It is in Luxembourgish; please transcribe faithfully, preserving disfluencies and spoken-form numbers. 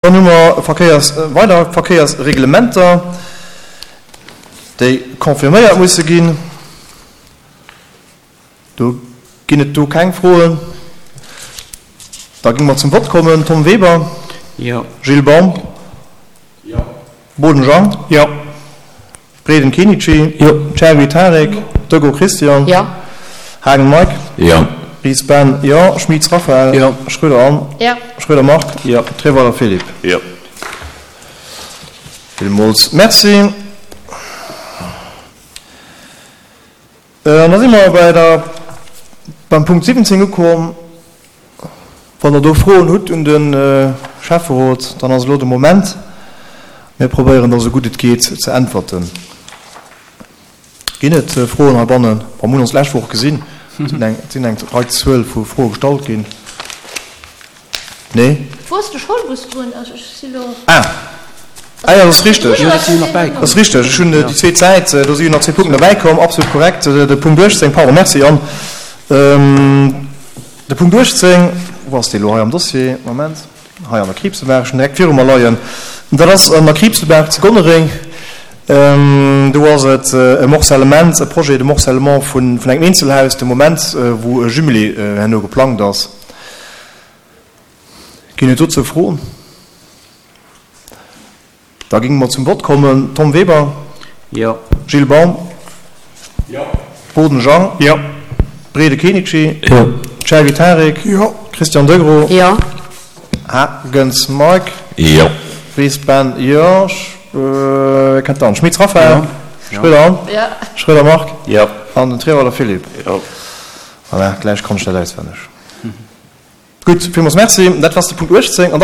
Dann hu mer Verkéiers, weider Verkéiersreglementer, déi confirméiert musse ginn. Do ginn et do keng Froen. Da géinge mer zum Vott kommen. Tom Weber. Jo. Gilles Baum. Jo. Boden Jean. Jo. Breden Kenichi. Jo. Cherry Tarek. Degros Christian. Jo. Haagen Mike. Jo. Ries Ben, jo. Schmitz Raphaël. Jo. Schroeder Anne. Jo. Schroeder Marc. Jo. Treweiler Philippe. Jo. Villmools Merci. An da si mer bei der, beim Punkt siwwenzéng ukomm. Wann Der do Froen hutt un de Schäfferot, dann ass elo de Moment. Mir probéieren da sou gutt et geet ze äntwerten. Ginn et Froen heibannen? Bon, mir hunn ons d'lescht Woch gesinn. Et sinn eng, et sinn eng Rei Zuel vu Froe gestallt ginn. Nee? Wou ass de Schoulbus drun? Also ech si lo. Ah! Ah jo, dat ass richteg. Jo, dat sinn jo nach bäikomm. Dat ass richteg. Ech hunn déi zweet Säit, do si jo nach zwee Punkten derbäikomm. Absolut korrekt. De Punkt uechtzéng, pardon, merci Anne. De Punkt uechtzéng, wou ass dee lo hei am Dossier? Moment. Hei an der Kriibsebaach, ech hunn direkt viru mer leien. Dat ass an der Kriibsebaach zu Gonnereng. Do ass et e Morcellement, e Projet de morcellement vun engem Eenzelhaus de Moment, wou e Jumelé herno geplangt ass. Ginn et dozou Froen? Da géinge mer zum Vott kommen. Tom Weber? Jo. Gilles Baum? Jo. Boden Jean? Jo. Brede Kenichi? Jo. Cherry Tarek? Jo. Christian Degros? Jo. Hagens Mike? Jo. Ries Ben? Jo. Wie kënnt dann? Schmitz Raphaël? Jo. Schroeder Anne? Jo. Schroeder Marc? Jo. An den Treweiler Philippe? Jo. Voilà, gläich konnt ech dat auswenneg. Gutt, villmools Merci. Dat war de Punkt uechtzéng. An da